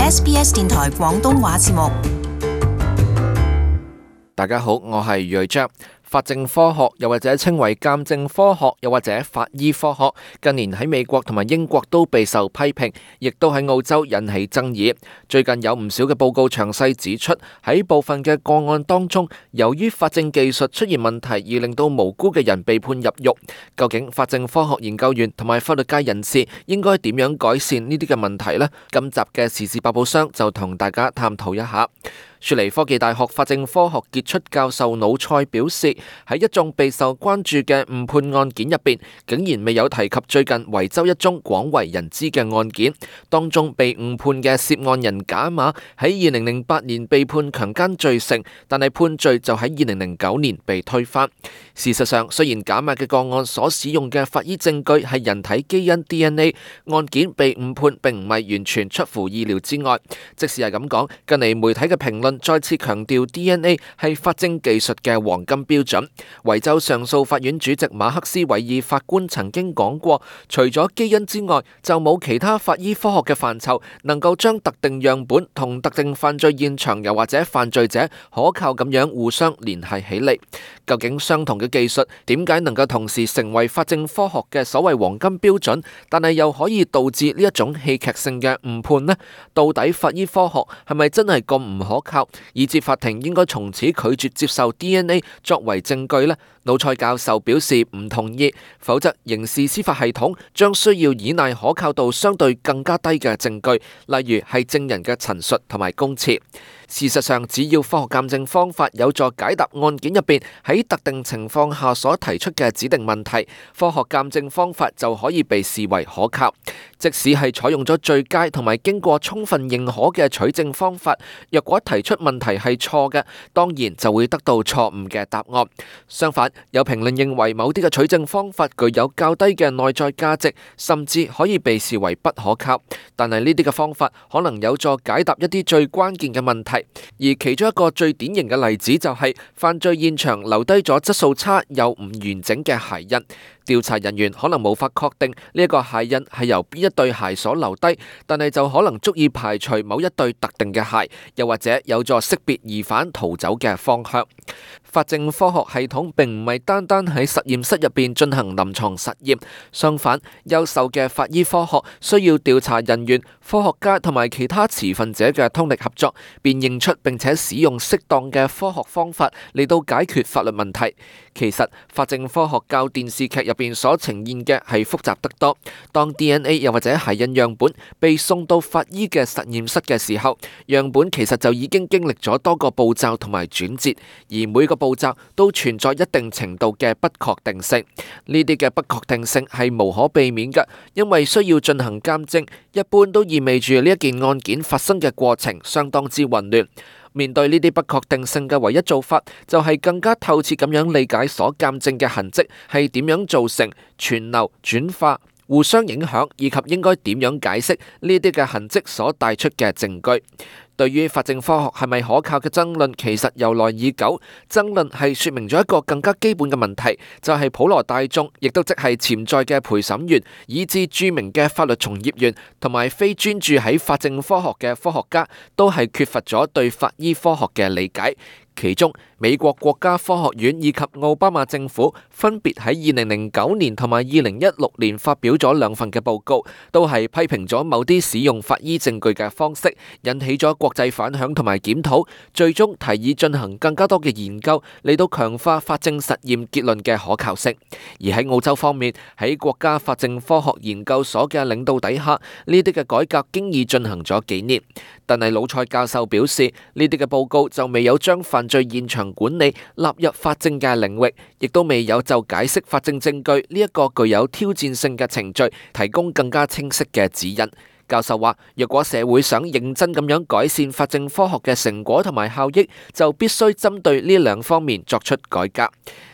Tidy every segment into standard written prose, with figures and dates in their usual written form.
SBS 電台廣東話節目。大家好，我係睿章。法證科學又或者稱為鑑證科學又或者法醫科學，近年喺美國同埋英國都備受批評，亦都喺澳洲引起爭議。最近有唔少嘅報告詳細指出，喺部分嘅個案當中，由於法證技術出現問題而令到無辜嘅人被判入獄。究竟法證科學研究員同埋法律界人士應該點樣改善呢啲嘅問題呢？今集嘅時事百寶箱就同大家探討一下。雪梨科技大學法證科學傑出教授魯塞表示，喺一眾備受關注嘅誤判案件入邊，竟然未有提及最近維州一宗廣為人知嘅案件，當中被誤判嘅涉案人賈馬喺2008年被判強姦罪成，但係判罪就喺2009年被推翻。事實上，雖然賈馬嘅個案所使用嘅法醫證據係人體基因 DNA， 案件被誤判並唔係完全出乎意料之外。即使係咁講，近嚟媒體嘅評論再次強調 DNA 係法證技術嘅黃金標準。維州上訴法院主席馬克斯韋爾法官曾經講過，除咗基因之外，就冇其他法醫科學嘅範疇能夠將特定樣本同特定犯罪現場又或者犯罪者可靠咁樣互相聯繫起嚟。究竟相同嘅技術點解能夠同時成為法證科學嘅所謂黃金標準，但係又可以導致呢一種戲劇性嘅誤判呢？到底法醫科學係咪真係咁唔可靠，以致法庭應該從此拒絕接受 DNA 作為證據呢？魯塞教授表示唔同意，否則刑事司法系統將需要依賴可靠度相對更加低嘅證據，例如係證人嘅陳述同埋供詞。事實上，只要科學鑑證方法有助解答案件入邊喺特定情況下所提出嘅指定問題，科學鑑證方法就可以被視為可靠。即使係採用咗最佳同埋經過充分認可嘅取證方法，若果提出問題係錯嘅，當然就會得到錯誤嘅答案。相反，有評論認為某啲嘅取證方法具有較低嘅內在價值，甚至可以被視為不可靠。但係呢啲嘅方法可能有助解答一啲最關鍵嘅問題。而其中一個最典型嘅例子就係犯罪現場留低咗質素差又唔完整嘅鞋印。調查人員可能無法確定呢一個鞋印係由邊一對鞋所留低，但係就可能足以排除某一對特定嘅鞋，又或者有助識別疑犯逃走嘅方向。法證科學系統並唔係單單喺實驗室入邊進行臨床實驗，相反，優秀嘅法醫科學需要調查人員、科學家同埋其他持份者嘅通力合作，辨認出並且使用適當嘅科學方法嚟到解決法律問題。其實法證科學較電視劇入邊所呈現嘅係複雜得多。當 DNA 又或者鞋印樣本被送到法醫嘅實驗室嘅時候，樣本其實就已經經歷咗多個步驟同埋轉折，而每個步驟都存在一定程度嘅不確定性。呢啲嘅不確定性係無可避免嘅，因為需要進行鑑證，一般都意味住呢一件案件發生嘅過程相當之混亂。面對呢啲不確定性嘅唯一做法，就係更加透徹咁樣理解所鑑證嘅痕跡係點樣造成、傳流、轉化、互相影響，以及應該點樣解釋呢啲嘅痕跡所帶出嘅證據。對於法證科學係咪可靠嘅爭論，其實由來已久。爭論係說明咗一個更加基本嘅問題，就係普羅大眾，亦都即係潛在嘅陪審員，以至著名嘅法律從業員同埋非專注喺法證科學嘅科學家，都係缺乏咗對法醫科學嘅理解。其中，美國國家科學院以及奧巴馬政府分別喺2009年同埋2016年發表咗兩份嘅報告，都係批評咗某啲使用法醫證據嘅方式，引起咗國際反響同埋檢討，最終提議進行更加多嘅研究嚟到強化法證實驗結論嘅可靠性。而喺澳洲方面，喺國家法證科學研究所嘅領導底下，呢啲嘅改革經已進行咗幾年。但係魯塞教授表示，呢啲嘅報告就未有將犯罪現場管理納入法證嘅領域，亦都未有就解釋法證證據呢一個具有挑戰性嘅程序提供更加清晰嘅指引。教授話，若果社會想認真咁樣改善法證科學嘅成果同埋效益，就必須針對呢兩方面作出改革。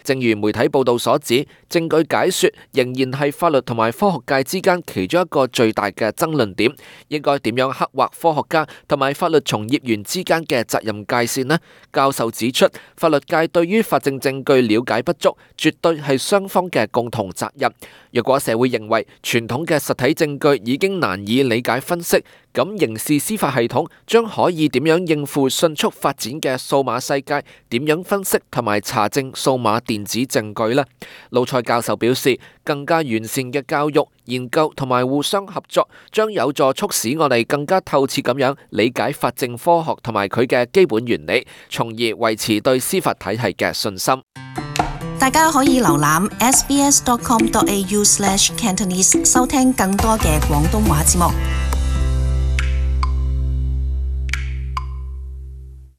正如媒體報道所指，證據解說仍然係法律同埋科學界之間其中一個最大嘅爭論點。應該點樣刻畫科學家同埋法律從業員之間嘅責任界線呢？教授指出，法律界對於法證證據了解不足，絕對係雙方嘅共同責任。若果社會認為傳統嘅實體證據已經難以理解分析，咁刑事司法系統將可以點樣應付迅速發展嘅數碼世界？點樣分析同埋查證數碼電子證據呢？魯塞教授表示，更加完善嘅教育、研究同埋互相合作，將有助促使我哋更加透徹咁樣理解法證科學同埋佢嘅基本原理，從而維持對司法體系嘅信心。大家可以瀏覽 sbs.com.au/cantonese 收聽更多嘅廣東話節目。